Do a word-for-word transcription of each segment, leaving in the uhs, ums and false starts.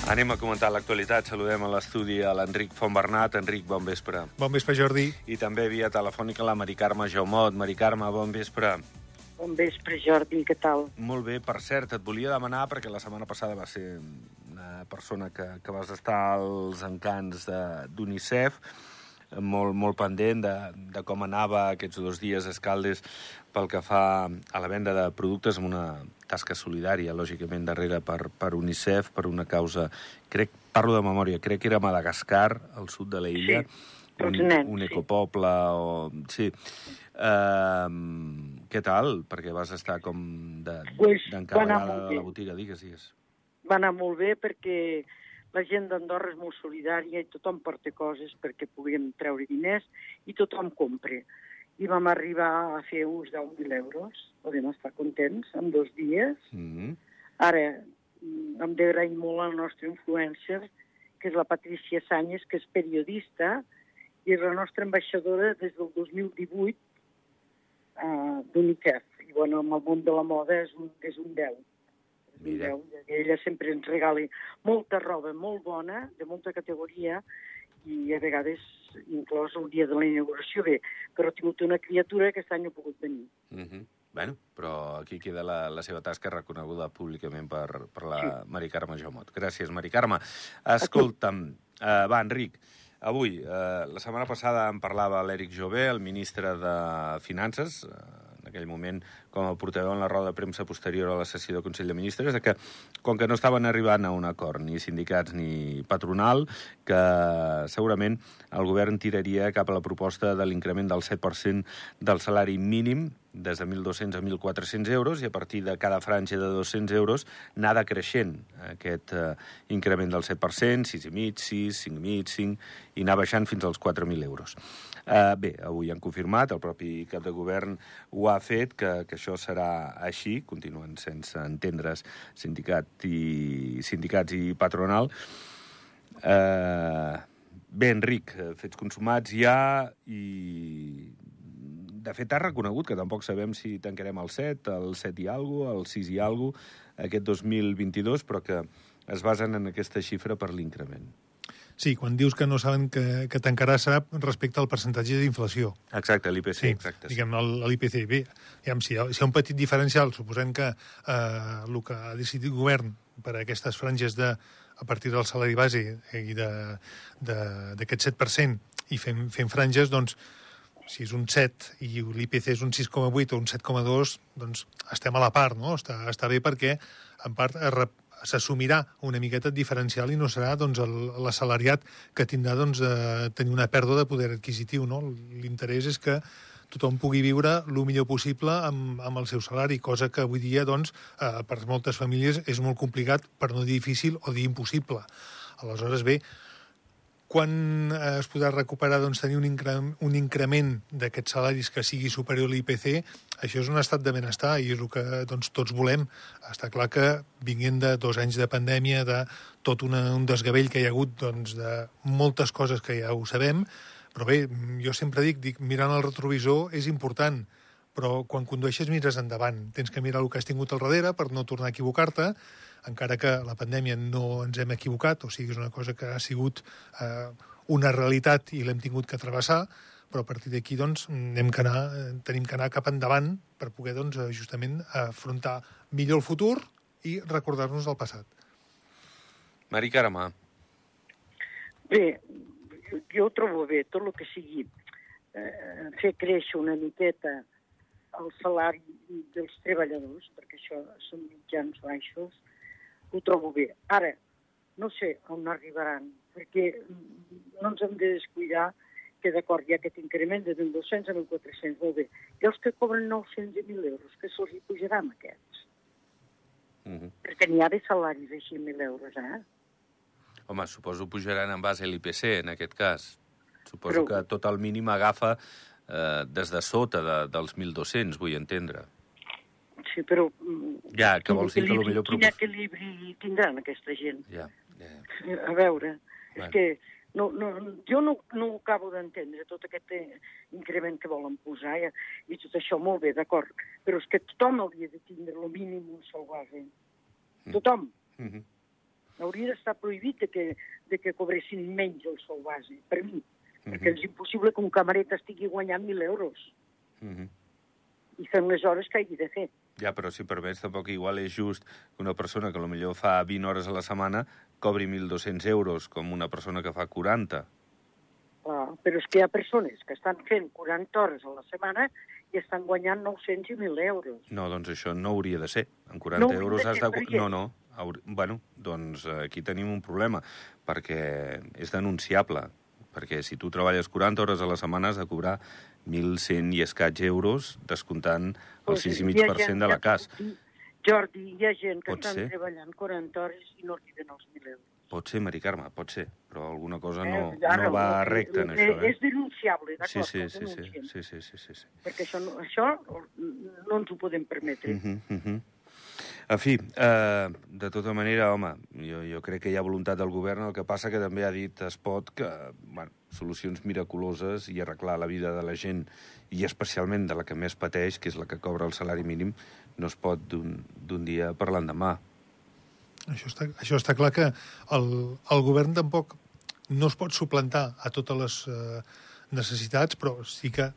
Anem a comentar l'actualitat. Saludem a l'estudi a l'Enric Fontbernat. Enric, bon vespre. Bon vespre, Jordi. I també via telefònica la Mari Carme Jaumot. Mari Carme, bon vespre. Bon vespre, Jordi, què tal? Molt bé, per cert, et volia demanar, perquè la setmana passada va ser una persona que, que vas estar als encants d'UNICEF, molt, molt pendent de, de com anava aquests dos dies a Escaldes pel que fa a la venda de productes amb una tasca solidària, lògicament, darrere per, per UNICEF, per una causa, crec, parlo de memòria, crec que era Madagascar, al sud de l'illa, sí, un, nens, un ecopoble, o... sí. Uh, què tal? Perquè vas estar com d'encarregada de, de la botiga, digues, digues. Va anar molt bé perquè la gent d'Andorra és molt solidària i tothom porta coses perquè puguem treure diners i tothom compra. I vam arribar a fer uns deu mil euros, podem estar contents, en dos dies. Mm-hmm. Ara, hem d'agrair molt a la nostra influencer, que és la Patricia Sánchez, que és periodista, i és la nostra ambaixadora des del dos mil divuit uh, d'UNICEF. I, bueno, amb el món de la moda és un, és un deu. Mira. Ella sempre ens regala molta roba molt bona, de molta categoria, i a vegades inclòs el dia de la inauguració bé, però ha tingut una criatura que aquest any no ha pogut venir. Mm-hmm. Bueno, però aquí queda la, la seva tasca reconeguda públicament per, per la sí. Mari Carme Jaumot. Gràcies, Mari Carme. Escolta'm, uh, va, Enric, avui, uh, la setmana passada en parlava l'Eric Jové, el ministre de Finances, uh, en aquell moment com a portaveu en la roda de premsa posterior a la sessió del Consell de Ministres, de que, com que no estaven arribant a un acord, ni sindicats ni patronal, que segurament el govern tiraria cap a la proposta de l'increment del set per cent del salari mínim, des de mil dos-cents a mil quatre-cents euros, i a partir de cada franja de dos-cents euros anar decreixent aquest eh, increment del set per cent, sis coma cinc, sis, cinc coma cinc, cinc, i anar baixant fins als quatre mil euros. Eh, bé, avui han confirmat, el propi cap de govern ho ha fet, que, que això serà així, continuen sense entendre's sindicat i, sindicats i patronal. Eh, bé, Enric, fets consumats ja, i de fet ha reconegut que tampoc sabem si tancarem el set, el set i alguna cosa, el sis i alguna cosa, aquest dos mil vint-i-dos, però que es basen en aquesta xifra per l'increment. Sí, quan dius que no saben que, que tancarà serà respecte al percentatge d'inflació. Exacte, l'I P C. Sí, exacte, diguem, l'I P C. Bé, diguem, si, hi ha, si hi ha un petit diferencial, suposem que eh, el que ha decidit el govern per a aquestes franges de, a partir del salari base i d'aquest set per cent i fem, fem franges, doncs, si és un set i l'I P C és un sis coma vuit o un set coma dos, doncs estem a la part, no? Està, està bé perquè, en part, s'assumirà una miqueta diferencial i no serà doncs, l'assalariat que tindrà doncs, de tenir una pèrdua de poder adquisitiu, no? L'interès és que tothom pugui viure el millor possible amb, amb el seu salari, cosa que avui dia, doncs, eh, per moltes famílies és molt complicat, per no dir difícil o dir impossible. Aleshores, bé, quan es podrà recuperar doncs, tenir un, incre un increment d'aquests salaris que sigui superior a l'I P C, això és un estat de benestar i és el que doncs, tots volem. Està clar que vinguent de dos anys de pandèmia, de tot una, un desgavell que hi ha hagut doncs, de moltes coses que ja ho sabem, però bé, jo sempre dic, dic mirant el retrovisor és important, però quan condueixes mires endavant. Tens que mirar el que has tingut al darrere per no tornar a equivocar-te, encara que la pandèmia no ens hem equivocat, o sigui, és una cosa que ha sigut eh, una realitat i l'hem tingut que travessar, però a partir d'aquí doncs, hem que anar, tenim que anar cap endavant per poder doncs, justament afrontar millor el futur i recordar-nos del passat. Mari Carme. Bé, jo ho trobo bé, tot el que sigui eh, fer créixer una miqueta el salari dels treballadors, perquè això són mitjans baixos, ho trobo bé. Ara, no sé on arribaran, perquè no ens hem de descuidar que d'acord hi ha aquest increment de mil dos-cents a mil quatre-cents, molt bé. I els que cobren nou-cents i mil euros, que se'ls hi pujaran aquests? Mm-hmm. Perquè n'hi ha de salaris així, mil euros, eh? Home, suposo pujaran en base a l'I P C, en aquest cas. Suposo Però... que tot el mínim agafa eh, des de sota de, dels mil dos-cents, vull entendre. Sí, però... Ja, que vols dir que potser... Quin equilibri tindran aquesta gent? Ja, ja, ja. A veure, bueno. És que no, no, jo no, no ho acabo d'entendre, tot aquest increment que volen posar i, i tot això, molt bé, d'acord, però és que tothom hauria de tindre el mínim un sou base. Mm. Tothom. Mm-hmm. hauria d'estar prohibit de que, de que cobressin menys el sou base, per mi. Uh-huh. Perquè és impossible que un camaret estigui guanyant mil euros. Uh-huh. I fem les hores que hagi de fer. Ja, però si permets, tampoc igual és just que una persona que potser fa vint hores a la setmana cobri mil dos-cents euros, com una persona que fa quaranta. Clar, però és que hi ha persones que estan fent quaranta hores a la setmana i estan guanyant nou-cents i mil euros. No, doncs això no hauria de ser. En quaranta No euros has de... perquè... No, no. Haur... Bueno, doncs aquí tenim un problema, perquè és denunciable. Perquè si tu treballes quaranta hores a la setmana has de cobrar mil cent i escaig euros, descomptant el sis coma cinc per cent de la C A S. Jordi, hi ha gent que Pot estan ser. treballant quaranta hores i no arriben als mil euros. Pot ser, Mari Carme, pot ser, però alguna cosa Eh, no, ara, no va el que- recte en el que això. Eh? És denunciable, Sí, d'acord? sí, el sí, sí, denunciem. sí, sí, sí, sí, sí. Perquè això no, això no ens ho podem permetre. Uh -huh, uh -huh. En fi, eh, de tota manera, home, jo, jo crec que hi ha voluntat del govern, el que passa que també ha dit Espot que, bueno, solucions miraculoses i arreglar la vida de la gent, i especialment de la que més pateix, que és la que cobra el salari mínim, no es pot d'un dia per l'endemà. Això està, això està clar que el, el govern tampoc no es pot suplantar a totes les eh, necessitats, però sí que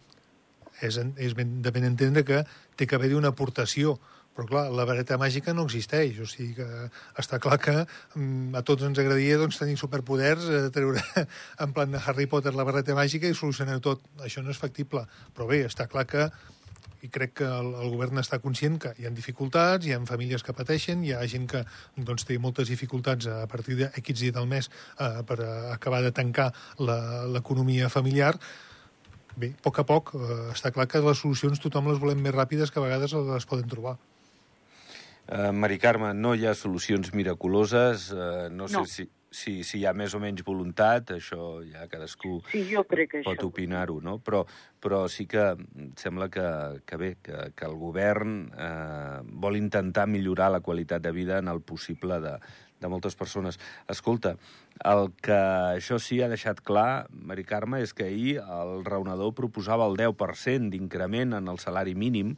és, és ben, de ben entendre que té que haver-hi una aportació. Però, clar, la vareta màgica no existeix. O sigui que està clar que mm, a tots ens agradaria doncs, tenir superpoders, eh, treure en plan de Harry Potter la vareta màgica i solucionar tot. Això no és factible. Però bé, està clar que, i crec que el, el govern està conscient que hi ha dificultats, hi ha famílies que pateixen, hi ha gent que doncs, té moltes dificultats a partir d'aquests dies del mes eh, per a acabar de tancar l'economia familiar. Bé, a poc a poc, eh, està clar que les solucions tothom les volem més ràpides que a vegades les poden trobar. Uh, Mari Carme, no hi ha solucions miraculoses, uh, no sé No. si, si, si hi ha més o menys voluntat, això ja cadascú Sí, jo crec que pot això... opinar-ho, no? Però, però sí que em sembla que, que bé, que, que el govern eh, vol intentar millorar la qualitat de vida en el possible de, de moltes persones. Escolta, el que això sí ha deixat clar, Mari Carme, és que ahir el raonador proposava el deu per cent d'increment en el salari mínim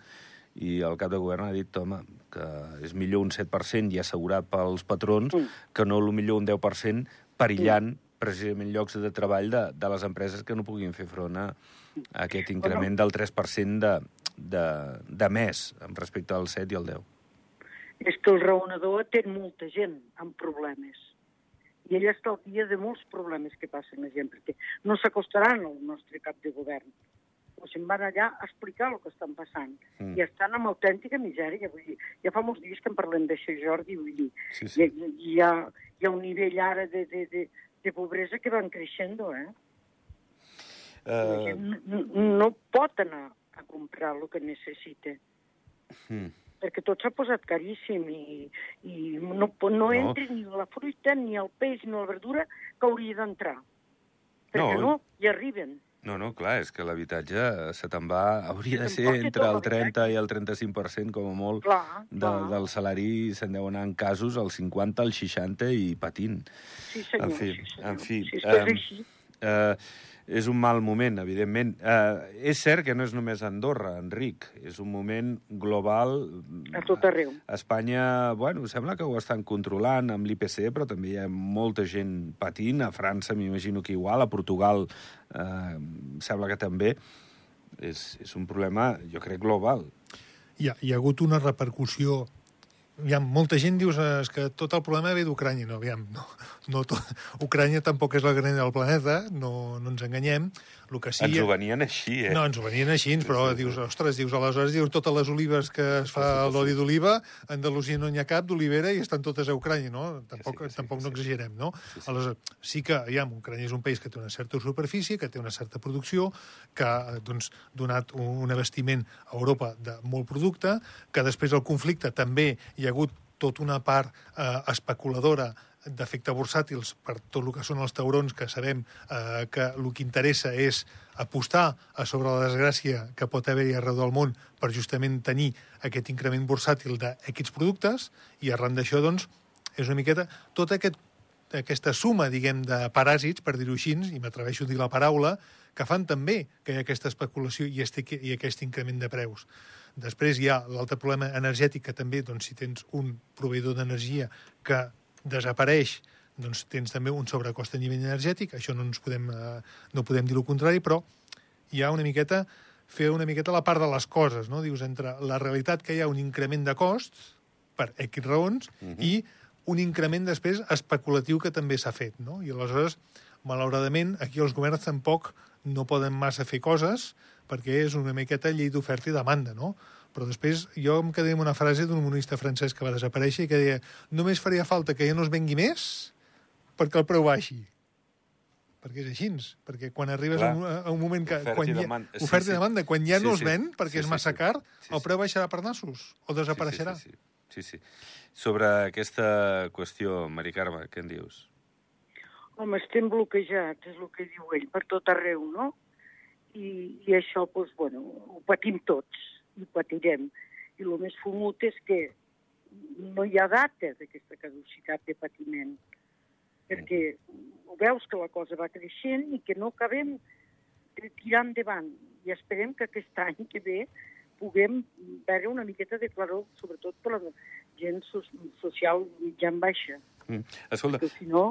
i el cap de govern ha dit, home, que és millor un set per cent i assegurat pels patrons Mm. que no millor un deu per cent perillant precisament llocs de treball de, de les empreses que no puguin fer front a, a aquest increment del tres per cent de, de, de més respecte al set i al deu. És que el raonador atén molta gent amb problemes. I ell està al dia de molts problemes que passen la gent, perquè no s'acostaran al nostre cap de govern. O se'n van allà a explicar el que estan passant. Mm. I estan amb autèntica misèria. Vull dir, ja fa molts dies que en parlem d'això, Jordi, vull dir, Sí, sí. hi, hi, ha, hi ha un nivell ara de, de, de, de pobresa que van creixent, eh? La Uh, gent no, no pot anar a comprar el que necessita, hmm. perquè tot s'ha posat caríssim i, i no, po- no, No. entra ni la fruita, ni el peix, ni la verdura que hauria d'entrar. Perquè No. no, hi arriben. No, no, clar, és que l'habitatge se te'n va... Hauria de Se ser t'emporta entre tot el l'habitatge. trenta i el trenta-cinc per cent, com a molt, Clar, de, clar. del salari se'n deu anar en casos al cinquanta, al seixanta i patint. Sí, senyor. En fi, sí, senyor. en fi, Sí, és que és em, així. Eh, és un mal moment, evidentment. Eh, és cert que no és només Andorra, Enric. És un moment global. A tot arreu. A Espanya, bueno, sembla que ho estan controlant amb l'I P C, però també hi ha molta gent patint. A França m'imagino que igual, a Portugal eh, sembla que també. És, és un problema, jo crec, global. Hi ha, hi ha hagut una repercussió. Aviam, molta gent dius eh, és que tot el problema ve d'Ucrània. No, aviam, no, no tot, Ucrània tampoc és la gran del planeta, no, no ens enganyem. El que sí, Ens ho venien així, eh? No, ens ho venien així, però dius, ostres, dius, aleshores dius totes les olives que es fa l'oli d'oliva, a Andalusia no n'hi ha cap d'olivera i estan totes a Ucrània, no? Tampoc, sí, sí, tampoc sí, no sí. exagerem, no? Sí, sí. Aleshores, sí que, aviam, Ucrània és un país que té una certa superfície, que té una certa producció, que ha doncs, donat un, un abastiment a Europa de molt producte, que després del conflicte també hi ha hagut tota una part eh, especuladora d'efecte bursàtils per tot el que són els taurons, que sabem eh, que el que interessa és apostar a sobre la desgràcia que pot haver-hi arreu del món per justament tenir aquest increment bursàtil d'aquests productes, i arran d'això, doncs, és una miqueta tota aquest, aquesta suma, diguem, de paràsits, per dir-ho així, i m'atreveixo a dir la paraula, que fan també que hi ha aquesta especulació i, este, i aquest increment de preus. Després hi ha l'altre problema energètic, que també, doncs, si tens un proveïdor d'energia que desapareix, doncs tens també un sobrecost a nivell energètic, això no ens podem, eh, no podem dir el contrari, però hi ha una miqueta, fer una miqueta la part de les coses, no? Dius, entre la realitat que hi ha un increment de costs, per X raons, uh-huh. i un increment després especulatiu que també s'ha fet, no? I aleshores, malauradament, aquí els governs tampoc no poden massa fer coses, perquè és una miqueta llei d'oferta i demanda, no? Però després jo em quedé amb una frase d'un economista francès que va desaparèixer i que deia només faria falta que ja no es vengui més perquè el preu baixi. Perquè és així, perquè quan arribes a un, a un moment que... Oferta quan i hi ha, demanda. oferta sí, i demanda, quan ja sí, no sí. es ven perquè sí, és sí, massa sí. car, sí, el preu baixarà per nassos o desapareixerà. Sí, sí, sí. sí, sí. Sobre aquesta qüestió, Mari Carme, què en dius? Home, estem bloquejats, és el que diu ell, per tot arreu, no? I, i això, doncs, bueno, ho patim tots, i ho patirem. I el més fumut és que no hi ha data d'aquesta caducitat de patiment, perquè ho veus que la cosa va creixent i que no acabem de tirar endavant. I esperem que aquest any que ve puguem veure una miqueta de claror, sobretot per la gent social mitjan baixa. Mm. Escolta... Perquè si no,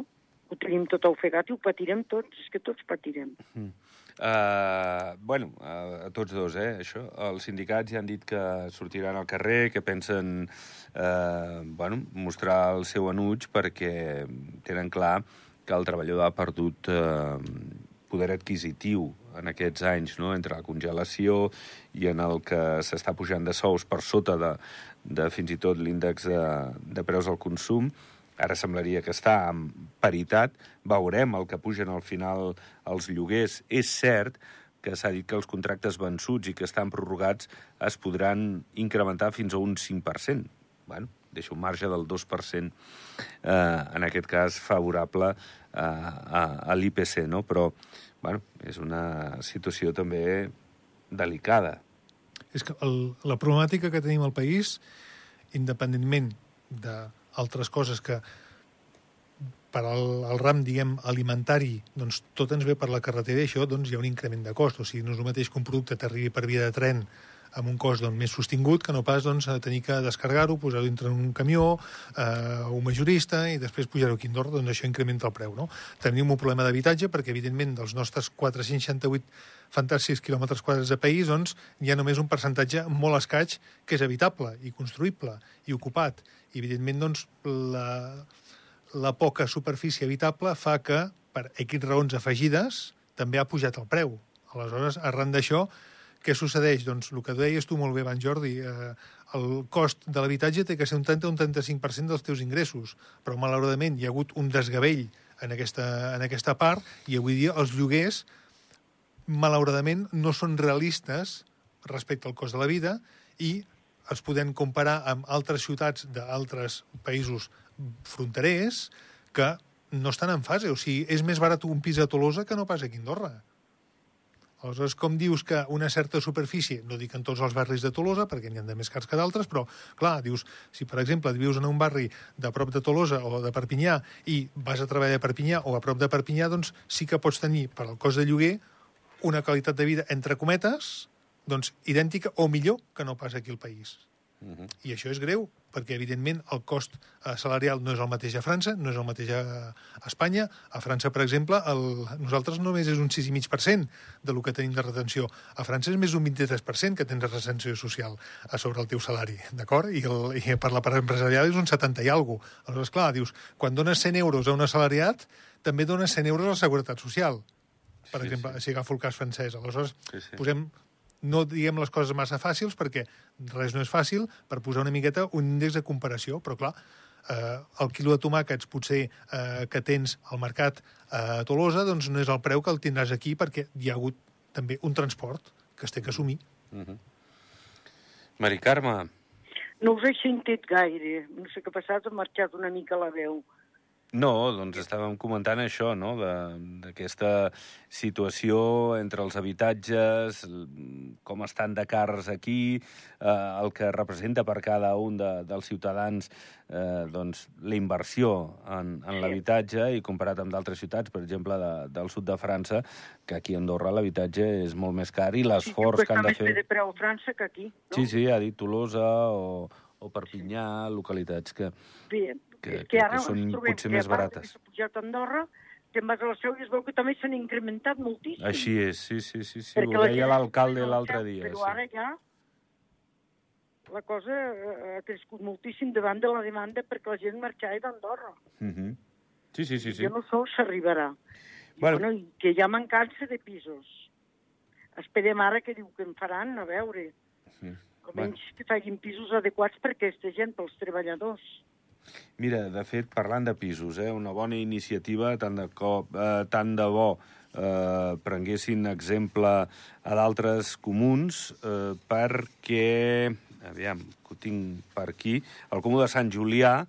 ho tenim tot ofegat i ho patirem tots, és que tots patirem. Mm. Uh, bueno, uh, a tots dos, eh, això. Els sindicats ja han dit que sortiran al carrer, que pensen uh, bueno, mostrar el seu enuig perquè tenen clar que el treballador ha perdut uh, poder adquisitiu en aquests anys, no?, entre la congelació i en el que s'està pujant de sous per sota de, de fins i tot l'índex de, de preus al consum. Ara semblaria que està en paritat. Veurem el que pugen al final els lloguers. És cert que s'ha dit que els contractes vençuts i que estan prorrogats es podran incrementar fins a un cinc per cent. Bueno, deixa un marge del dos per cent, eh, en aquest cas favorable eh, a, a l'I P C, no? Però, bueno, és una situació també delicada. És que el, la problemàtica que tenim al país, independentment de altres coses que per al, al ram, diguem, alimentari, doncs tot ens ve per la carretera i això doncs hi ha un increment de cost. O sigui, no és el mateix que un producte t'arribi per via de tren amb un cost doncs, més sostingut que no pas doncs, tenir que descarregar-ho, posar-ho dintre un camió, eh, un majorista i després pujar-ho aquí a Andorra, doncs això incrementa el preu. No? Tenim un problema d'habitatge perquè, evidentment, dels nostres quatre-cents seixanta-vuit fantàstics quilòmetres quadrats de país, doncs hi ha només un percentatge molt escaig que és habitable i construïble i ocupat. I, evidentment, doncs, la, la poca superfície habitable fa que, per X raons afegides, també ha pujat el preu. Aleshores, arran d'això, què succeeix? Doncs el que deies tu molt bé abans, Jordi, eh, el cost de l'habitatge té que ser un trenta o un trenta-cinc per cent dels teus ingressos, però malauradament hi ha hagut un desgavell en aquesta, en aquesta part i avui dia els lloguers malauradament no són realistes respecte al cost de la vida i es poden comparar amb altres ciutats d'altres països fronterers que no estan en fase. O sigui, és més barat un pis a Tolosa que no pas aquí a Andorra. Aleshores, com dius que una certa superfície, no dic en tots els barris de Tolosa, perquè n'hi ha de més cars que d'altres, però, clar, dius, si per exemple et vius en un barri de prop de Tolosa o de Perpinyà i vas a treballar a Perpinyà o a prop de Perpinyà, doncs sí que pots tenir, per al cost de lloguer, una qualitat de vida, entre cometes, doncs idèntica o millor que no pas aquí al país. Uh-huh. I això és greu, perquè, evidentment, el cost salarial no és el mateix a França, no és el mateix a Espanya. A França, per exemple, el, nosaltres només és un sis coma cinc per cent de lo que tenim de retenció. A França és més d'un vint-i-tres per cent que tens de retenció social a sobre el teu salari, d'acord? I, el, I per la part empresarial és un setanta i alguna cosa. Aleshores, clar, dius, quan dones cent euros a un assalariat, també dones cent euros a la Seguretat Social, per sí, exemple, sí. si agafo el cas francès. Aleshores, sí, sí. posem... No diguem les coses massa fàcils, perquè res no és fàcil, per posar una miqueta un índex de comparació, però clar, eh, el quilo de tomàquets potser eh, que tens al mercat a Tolosa, doncs no és el preu que el tindràs aquí, perquè hi ha hagut també un transport que es té que assumir. Uh-huh. Mari Carme. No us he sentit gaire, no sé què ha passat, ha marxat una mica la veu. No, doncs estàvem comentant això, no?, d'aquesta situació entre els habitatges, com estan de cars aquí, eh, el que representa per cada un de, dels ciutadans eh, doncs, la inversió en, en l'habitatge i comparat amb d'altres ciutats, per exemple, de, del sud de França, que aquí a Andorra l'habitatge és molt més car i l'esforç sí, que han de fer... Sí, que està més bé de preu a França que aquí, no? Sí, sí, ha dit Tolosa o... o Perpinyà, localitats que, Bé, que, que, que, ara que són ens trobem potser que més a part barates. que s'ha pujat a Andorra, te'n vas a la Seu i es veu que també s'han incrementat moltíssim. Així és, sí, sí, sí, sí. Perquè ho la deia gent l'alcalde no l'altre sap, dia. Però Sí. ara ja la cosa ha crescut moltíssim davant de la demanda perquè la gent marxava d'Andorra. Uh -huh. Sí, sí, sí, sí. Jo no sé on s'arribarà. Bueno. Bueno, i que hi ha mancança de pisos. Esperem ara que diu que en faran, a veure. Sí. Almenys bueno. que facin pisos adequats per aquesta gent, pels treballadors. Mira, de fet, parlant de pisos, eh, una bona iniciativa, tant de, cop, eh, tant de bo eh, prenguessin exemple a d'altres comuns, eh, perquè, aviam, que ho tinc per aquí, el comú de Sant Julià,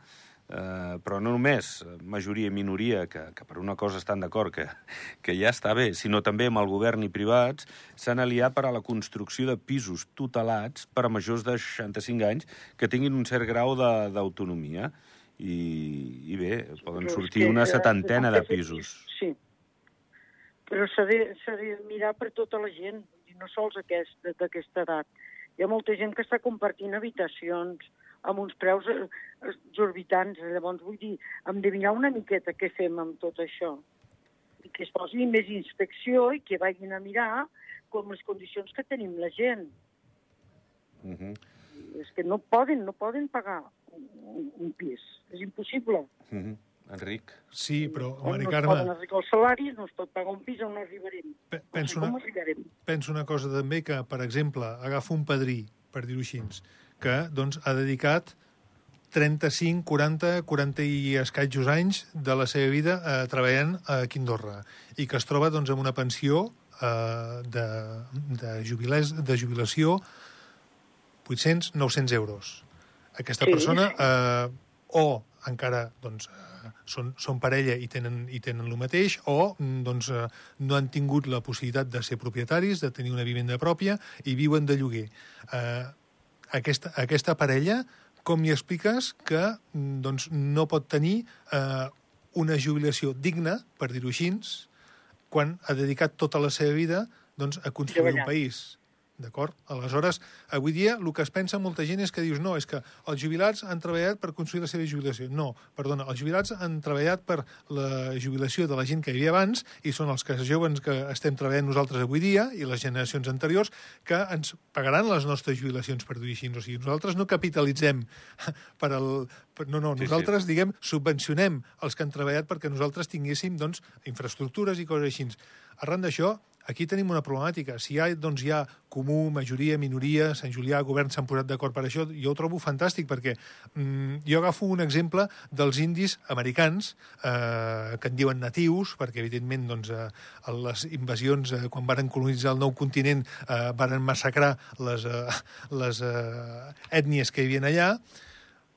eh, però no només majoria i minoria, que, que per una cosa estan d'acord, que, que ja està bé, sinó també amb el govern i privats, s'han aliat per a la construcció de pisos tutelats per a majors de seixanta-cinc anys que tinguin un cert grau d'autonomia. I, i bé, poden sortir una setantena de pisos. Sí, però s'ha de, s'ha de mirar per tota la gent, i no sols aquest, d'aquesta edat. Hi ha molta gent que està compartint habitacions amb uns preus exorbitants. Llavors, vull dir, hem de mirar una miqueta què fem amb tot això. I que es posi més inspecció i que vagin a mirar com les condicions que tenim la gent. Uh -huh. És que no poden, no poden pagar un, un pis. És impossible. Uh -huh. Enric? Sí, però, Mari no Carme... No es poden arribar els salaris, no es pot pagar un pis on no arribarem. Penso no sé una, arribarem. penso una cosa també, que, per exemple, agafa un padrí, per dir-ho així, que doncs, ha dedicat trenta-cinc, quaranta, quaranta i escaigos anys de la seva vida eh, treballant aquí a Andorra i que es troba doncs, amb una pensió eh, de, de, jubilés, de jubilació vuit-cents, nou-cents euros. Aquesta sí, persona sí. Eh, o encara doncs, eh, són, són parella i tenen, i tenen el mateix, o doncs, eh, no han tingut la possibilitat de ser propietaris, de tenir una vivenda pròpia i viuen de lloguer. Eh, aquesta, aquesta parella, com li expliques que doncs, no pot tenir eh, una jubilació digna, per dir-ho així, quan ha dedicat tota la seva vida doncs, a construir un país? D'acord? Aleshores, avui dia el que es pensa molta gent és que dius no, és que els jubilats han treballat per construir la seva jubilació. No, perdona, els jubilats han treballat per la jubilació de la gent que hi havia abans i són els que joves que estem treballant nosaltres avui dia i les generacions anteriors que ens pagaran les nostres jubilacions, per dir-ho així. O sigui, nosaltres no capitalitzem per al... Per, no, no, nosaltres, sí, sí. diguem, subvencionem els que han treballat perquè nosaltres tinguéssim, doncs, infraestructures i coses així. Arran d'això, aquí tenim una problemàtica. Si hi ha, doncs, hi ha comú, majoria, minoria, Sant Julià, govern s'han posat d'acord per això, jo ho trobo fantàstic, perquè mm, jo agafo un exemple dels indis americans, eh, que en diuen natius, perquè, evidentment, doncs, eh, les invasions, eh, quan varen colonitzar el nou continent, eh, varen massacrar les, eh, les eh, ètnies que hi havia allà.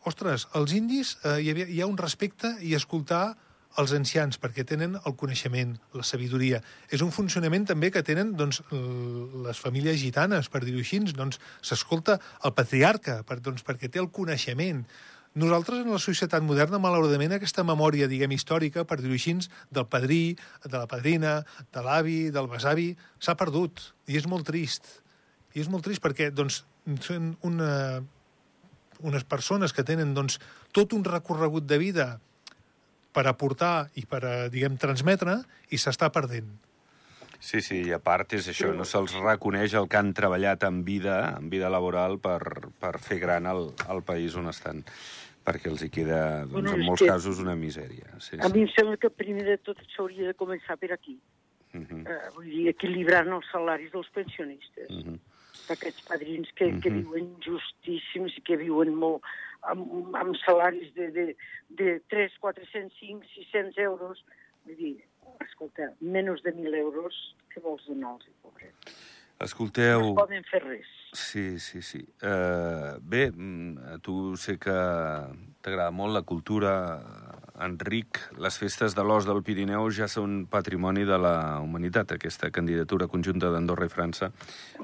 Ostres, els indis eh, hi, havia, hi ha un respecte i escoltar els ancians, perquè tenen el coneixement, la sabidoria. És un funcionament també que tenen doncs, les famílies gitanes, per dir-ho així. Doncs, s'escolta el patriarca, per, doncs, perquè té el coneixement. Nosaltres, en la societat moderna, malauradament, aquesta memòria, diguem, històrica, per dir-ho així, del padrí, de la padrina, de l'avi, del besavi, s'ha perdut. I és molt trist. I és molt trist perquè doncs, són una, unes persones que tenen doncs, tot un recorregut de vida per aportar i per, diguem, transmetre, i s'està perdent. Sí, sí, i a part és això, no se'ls reconeix el que han treballat en vida, en vida laboral, per, per fer gran el, el país on estan, perquè els hi queda, doncs, bueno, en molts casos, una misèria. Sí, a sí. mi em sembla que primer de tot s'hauria de començar per aquí. Uh -huh. uh, vull dir, equilibrant els salaris dels pensionistes. Uh -huh. D'aquests padrins que, uh -huh. que viuen justíssims i que viuen molt amb, amb salaris de, de, de tres, quatre-cents, cinc, sis-cents euros. Vull dir, escolta, menys de mil euros, què vols donar-los, pobret? Escolteu... No poden fer res. Sí, sí, sí. Uh, bé, a tu sé que t'agrada molt la cultura, Enric. Les festes de l'Os del Pirineu ja són patrimoni de la humanitat. Aquesta candidatura conjunta d'Andorra i França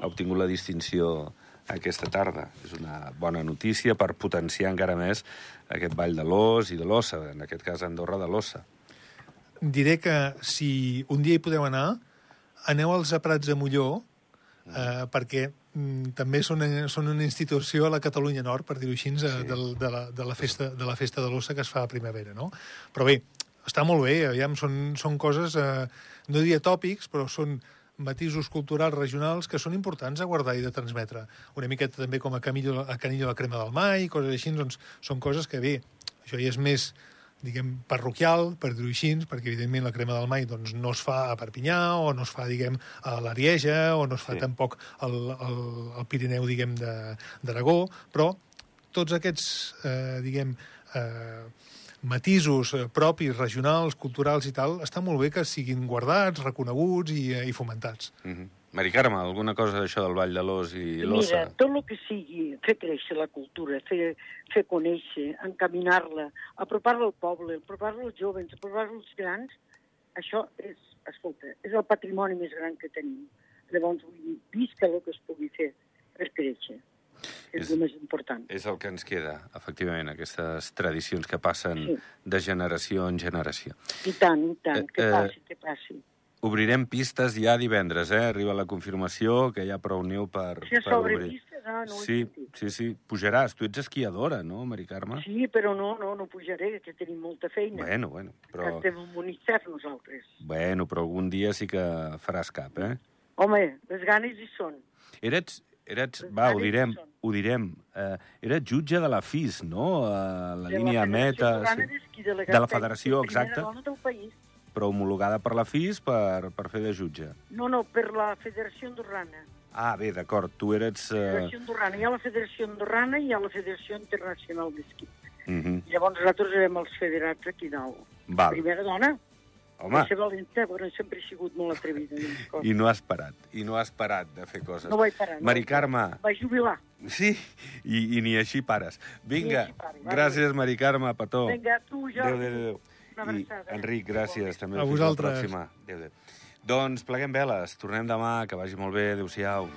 ha obtingut la distinció aquesta tarda. És una bona notícia per potenciar encara més aquest ball de l'Os i de l'Ossa, en aquest cas Andorra de l'Ossa. Diré que si un dia hi podeu anar, aneu als Prats de Molló, eh, perquè també són, són una institució a la Catalunya Nord, per dir-ho així, sí. de, de, la, de, la festa, de la festa de l'Ossa que es fa a primavera, no? Però bé, està molt bé, aviam, són, són coses, eh, no diria tòpics, però són matisos culturals regionals que són importants a guardar i de transmetre. Una miqueta també com a Canillo, a Canillo la crema del Mai, coses així, doncs són coses que bé, això ja és més, diguem, parroquial, per dir-ho així, perquè evidentment la crema del Mai doncs, no es fa a Perpinyà, o no es fa, diguem, a l'Arieja, o no es fa sí. tampoc al, al, al Pirineu, diguem, d'Aragó, però tots aquests, eh, diguem, eh, matisos propis, regionals, culturals i tal, està molt bé que siguin guardats, reconeguts i, i fomentats. Mm-hmm. Mari Carme, alguna cosa d'això del Vall de l'Os i l'Ossa? Mira, tot el que sigui fer créixer la cultura, fer, fer conèixer, encaminar-la, apropar-la al poble, apropar-la als joves, apropar-la als grans, això és, escolta, és el patrimoni més gran que tenim. Llavors, vull dir, visca el que es pugui fer per créixer. És, és el més important. És el que ens queda, efectivament, aquestes tradicions que passen sí. de generació en generació. I tant, i tant, eh, que passi, eh, que passi. Obrirem pistes ja divendres, eh? Arriba la confirmació, que hi ha prou neu per, si per obrir. Si pistes, ah, no sí, sí, sí, pujaràs. Tu ets esquiadora, no, Mari Carme? Sí, però no, no, no pujaré, que tenim molta feina. Bueno, bueno, però... Que estem en un Unicef nosaltres. Bueno, però algun dia sí que faràs cap, eh? Home, les ganes hi són. Eres, eres va, ho direm, ho direm, eh, eres jutge de la F I S, no? A la de línia la meta... Sí. De, de la federació, exacte. Primera dona del país. Però homologada per la F I S per, per fer de jutge. No, no, per la Federació Andorrana. Ah, bé, d'acord, tu eres... Uh... Federació Andorrana. Hi ha la Federació Andorrana i hi ha la Federació Internacional d'Esquí. Uh -huh. Llavors nosaltres érem els federats aquí dalt. Val. Primera dona. Home. Va ser valenta, però sempre he sigut molt atrevida. I no has parat, i no has parat de fer coses. No vaig parar. No Mari Carme... Vaig jubilar. Sí, i, i ni així pares. Vinga, així pare, gràcies, Mari Carme, petó. Vinga, tu, Jordi. Adéu, adéu, adéu. I Enric, gràcies. També a vosaltres. Fins la pròxima. Adéu, adéu. Doncs pleguem veles. Tornem demà. Que vagi molt bé. Adéu-siau.